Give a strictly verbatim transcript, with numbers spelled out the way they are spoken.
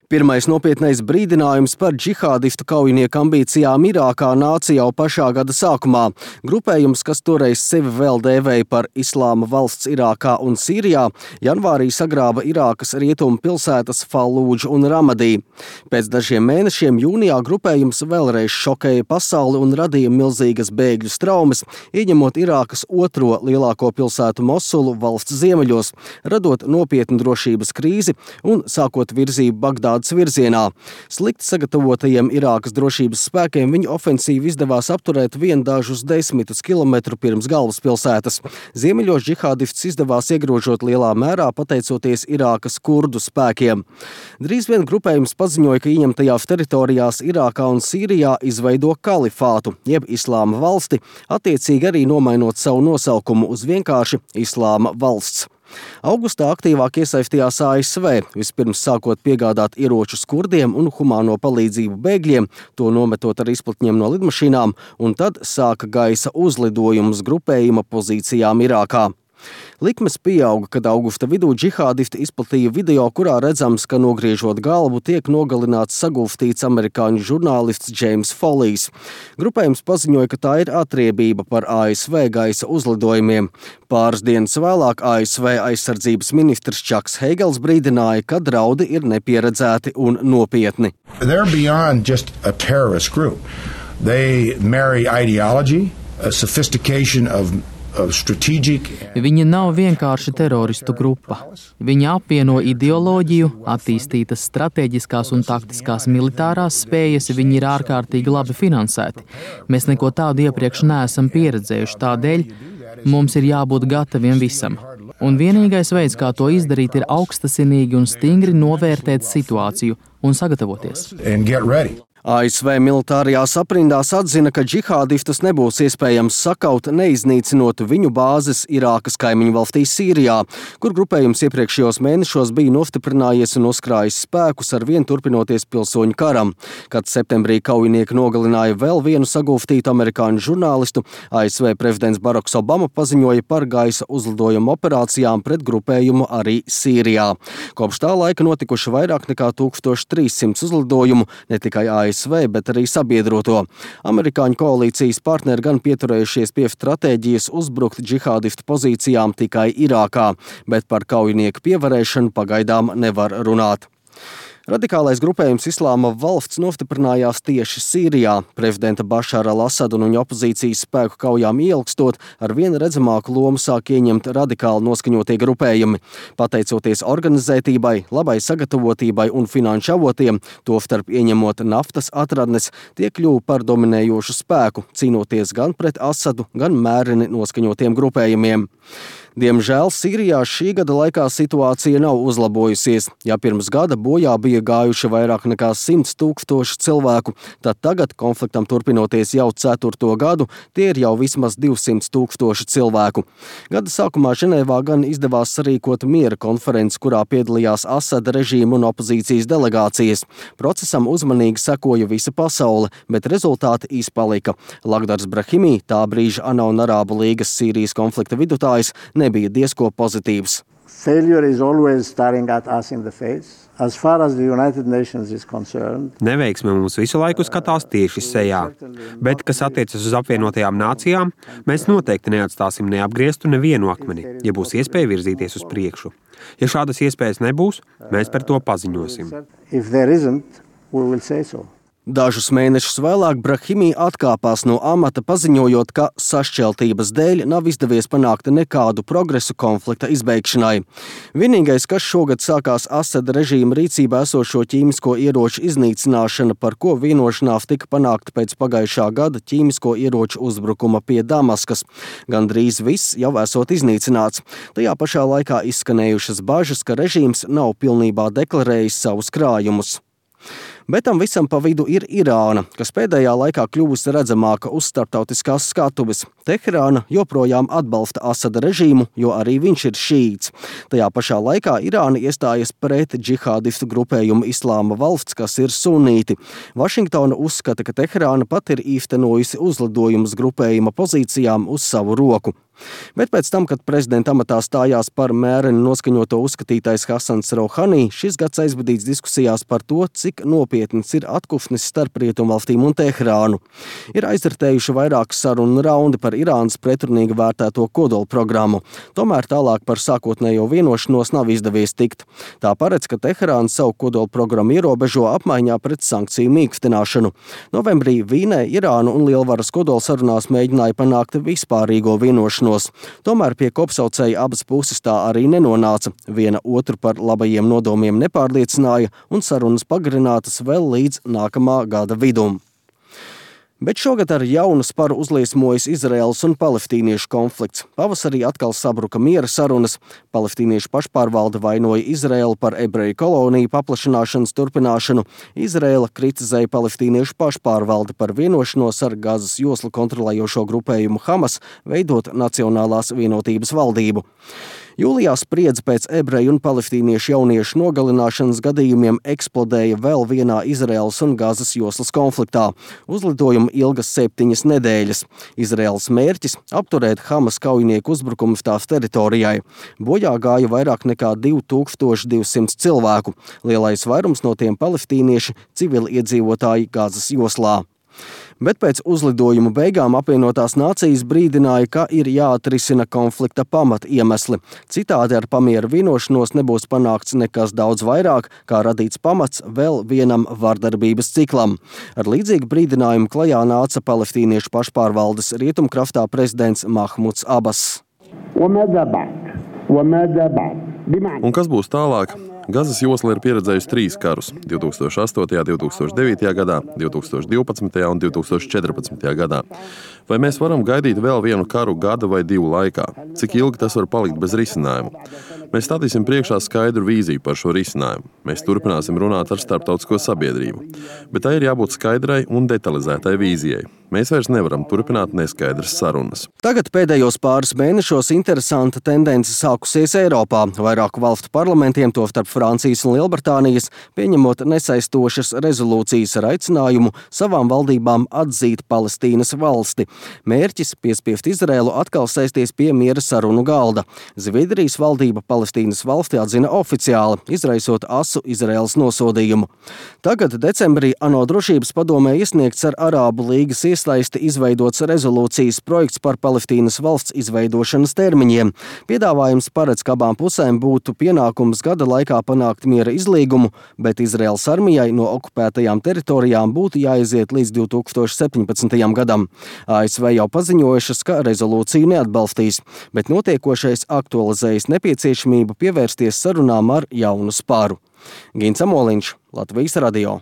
Pirmais nopietnais brīdinājums par džihādistu kaujinieku ambīcijām Irākā nāca jau pašā gada sākumā. Grupējums, kas toreiz sevi vēl dēvēja par Islāma valsts Irākā un Sīrijā, janvārī sagrāba Irākas rietumu pilsētas Fallūdžu un Ramadī. Pēc dažiem mēnešiem jūnijā grupējums vēlreiz šokēja pasauli un radīja milzīgas bēgļu straumes, ieņemot Irākas otro lielāko pilsētu Mosulu valsts ziemeļos, radot nopietnu drošības krīzi un sākot virzību Bagdādas virzienā. Slikti sagatavotajiem Irākas drošības spēkiem viņu ofensīvu izdevās apturēt vien dažus desmitus kilometru pirms galvaspilsētas. Ziemeļos džihādists izdevās iegrožot lielā mērā pateicoties Irākas kurdu spēkiem. Drīz vien grupējums paziņoja, ka ieņemtajās teritorijās Irākā un Sīrijā izveido kalifātu, jeb Islāma valsti, attiecīgi arī nomainot savu nosaukumu uz vienkārši Islāma valsts. Augustā aktīvāk iesaistījās A S V, vispirms sākot piegādāt ieročus kurdiem un humāno palīdzību bēgļiem, to nometot ar izplatņiem no lidmašīnām, un tad sāka gaisa uzlidojumus grupējuma pozīcijām Irākā. Likmes pieauga, kad augusta vidū džihādisti izplatīja video, kurā redzams, ka nogriežot galvu tiek nogalināts sagulstīts amerikāņu žurnālists James Follijs. Grupējums paziņoja, ka tā ir atriebība par A S V gaisa uzlidojumiem. Pāris dienas vēlāk A S V aizsardzības ministrs Čaks Heigels brīdināja, ka draudi ir nepieredzēti un nopietni. They're beyond just a terrorist group. They marry ideology, a sophistication of Viņi nav vienkārši teroristu grupa. Viņi apvieno ideoloģiju, attīstītas strateģiskās un taktiskās militārās spējas, viņi ir ārkārtīgi labi finansēti. Mēs neko tādu iepriekš neesam pieredzējuši, tādēļ mums ir jābūt gataviem visam. Un vienīgais veids, kā to izdarīt, ir augstasinīgi un stingri novērtēt situāciju un sagatavoties. A S V militārajās aprindās atzina, ka džihādistus nebūs iespējams sakaut, neiznīcinot viņu bāzes Irākas kaimiņu valstī Sīrijā, kur grupējums iepriekšējos mēnešos bija nostiprinājies un uzkrājis spēkus ar vien turpinoties pilsoņu karam. Kad septembrī kaujinieki nogalināja vēl vienu sagulstītu amerikāņu žurnālistu, A S V prezidents Baraks Obama paziņoja par gaisa uzlidojumu operācijām pret grupējumu arī Sīrijā. Kopš tā laika notikuši vairāk nekā tūkstoš trīs simti uzlidojumu, ne tikai A S V, bet arī sabiedroto. Amerikāņu koalīcijas partneri gan pieturējušies pie stratēģijas uzbrukt džihādistu pozīcijām tikai Irākā, bet par kaujinieku pievarēšanu pagaidām nevar runāt. Radikālais grupējums Islāma valsts nostiprinājās tieši Sīrijā. Prezidenta Bašara al-Asada un viņa opozīcijas spēku kaujām ieilgstot, ar vien redzamāku lomu sāk ieņemt radikāli noskaņotie grupējumi. Pateicoties organizētībai, labai sagatavotībai un finanšu avotiem, tostarp ieņemot naftas atradnes, tie kļuva par dominējošu spēku, cīnoties gan pret Asadu, gan mērini noskaņotiem grupējumiem. Diemžēl Sīrijā šī gada laikā situācija nav uzlabojusies. Ja pirms gada bojā bija gājuši vairāk nekā simts tūkstoši cilvēku, tad tagad, konfliktam turpinoties jau ceturto gadu, tie ir jau vismaz divsimt tūkstoši cilvēku. Gada sākumā Ženēvā gan izdevās sarīkot miera konferenci, kurā piedalījās Asada režīma un opozīcijas delegācijas. Procesam uzmanīgi sekoja visa pasaule, bet rezultāti izpalika. Lagdars Brahimī, tā brīža ANO un Arābu līgas Sīrijas konflikta vidutājs, nebija diezko pozitīvs. Neveiksme mums visu laiku skatās tieši sejā, bet, kas attiecas uz apvienotajām nācijām, mēs noteikti neatstāsim neapgrieztu nevienu akmeni, ja būs iespēja virzīties uz priekšu. Ja šādas iespējas nebūs, mēs par to paziņosim. Dažus mēnešus vēlāk Brahimī atkāpās no amata, paziņojot, ka sašķeltības dēļ nav izdevies panākt nekādu progresu konflikta izbeigšanai. Vienīgais, kas šogad sākās Asada režīma rīcībā esošo ķīmisko ieroču iznīcināšana, par ko vienošanās tika panākta pēc pagājušā gada ķīmisko ieroču uzbrukuma pie Damaskas. Gandrīz viss jau esot iznīcināts. Tajā pašā laikā izskanējušas bažas, ka režīms nav pilnībā deklarējis savus krājumus. Bet tam visam pa vidu ir Irāna, kas pēdējā laikā kļuvusi redzamāka uz starptautiskās skatuves. Teherāna joprojām atbalsta Asada režīmu, jo arī viņš ir šīts. Tajā pašā laikā Irāna iestājas pret džihādistu grupējumu Islāma valsts, kas ir sunīti. Vašingtona uzskata, ka Teherāna pat ir īstenojusi uzlidojumus grupējuma pozīcijām uz savu roku. Bet pēc tam, kad prezidenta amatā stājās par mēreni noskaņoto uzskatītais Hasans Rouhani, šis gads aizvadīts diskusijās par to, cik nopietns ir atkufnis starp Rietumvalstīm un Teherānu. Ir aizritējuši vairākas sarunu raundi par Irānas pretrunīgi vērtēto kodola programmu. Tomēr tālāk par sākotnējo vienošanos nav izdevies tikt. Tā paredz, ka Teherāna savu kodola programmu ierobežo apmaiņā pret sankciju mīkstināšanu. Novembrī Vīnē Irāna un lielvaras kodola sarunās mēģināja panākt vispārīgo vienošanos. Tomēr pie kopsaucēja abas puses tā arī nenonāca. Viena otru par labajiem nodomiem nepārliecināja un sarunas pagarinātas vēl līdz nākamā gada vidum. Bet šogad ar jaunu sparu uzliesmojas Izraēlas un palestīniešu konflikts. Pavasarī atkal sabruka miera sarunas. Palestīniešu pašpārvalde vainoja Izraēlu par ebreju koloniju paplašināšanas turpināšanu. Izraēla kritizēja palestīniešu pašpārvaldi par vienošanos ar Gazas joslu kontrolējošo grupējumu Hamas veidot Nacionālās vienotības valdību. Jūlijā spriedze pēc ebreju un palestīniešu jauniešu nogalināšanas gadījumiem eksplodēja vēl vienā Izraēlas un Gazas joslas konfliktā. Uzlidojuma ilgas septiņas nedēļas. Izraēlas mērķis – apturēt Hamas kaujinieku uzbrukumus tās teritorijai. Bojā gāja vairāk nekā divi tūkstoši divsimt cilvēku. Lielais vairums no tiem palestīnieši civili iedzīvotāji Gazas joslā. Bet pēc uzlidojuma beigām apvienotās nācijas brīdināja, ka ir jāatrisina konflikta pamat iemesli. Citādi ar pamiera vienošanos nebūs panākts nekas daudz vairāk, kā radīts pamats vēl vienam vardarbības ciklam. Ar līdzīgu brīdinājumu klajā nāca palestīniešu pašpārvaldes rietumkraftā prezidents Mahmuds Abas. Un kas būs tālāk? Gazas josla ir pieredzējusi trīs karus – divi tūkstoši astotajā, divi tūkstoši devītajā gadā, divi tūkstoši divpadsmitajā un divi tūkstoši četrpadsmitajā gadā. Vai mēs varam gaidīt vēl vienu karu gada vai divu laikā? Cik ilgi tas var palikt bez risinājuma? Mēs stādīsim priekšā skaidru vīziju par šo risinājumu. Mēs turpināsim runāt ar starptautisko sabiedrību. Bet tai ir jābūt skaidrai un detalizētai vīzijai. Mēs vairs nevaram turpināt neskaidras sarunas. Tagad pēdējos pāris mēnešos interesanta tendence sākusies Eiropā. Vairāku valstu parlamentiem, to starp Francijas un Lielbritānijas, pieņemot nesaistošas rezolūcijas ar aicinājumu savām valdībām atzīt Palestīnas valsti. Mērķis – piespiest Izraēlu atkal sēsties pie miera sarunu galda. Zviedrijas valdība Palestīnas valsti atzina oficiāli, izraisot asu Izraēlas nosodījumu. Tagad decembrī ANO drošības padomē iesniegts ar Arābu līgas iesaisti izveidots rezolūcijas projekts par Palestīnas valsts izveidošanas termiņiem. Piedāvājums paredz, ka abām pusēm būtu pienākums gada laikā panākt miera izlīgumu, bet Izraēlas armijai no okupētajām teritorijām būtu jāiziet līdz divi tūkstoši septiņpadsmitajam gadam. A S V jau paziņojušas, ka rezolūciju neatbalstīs, bet notiekošais aktualizējas nepieciešamību pievērsties sarunām ar jaunu spāru. Gins Amoliņš, Latvijas radio.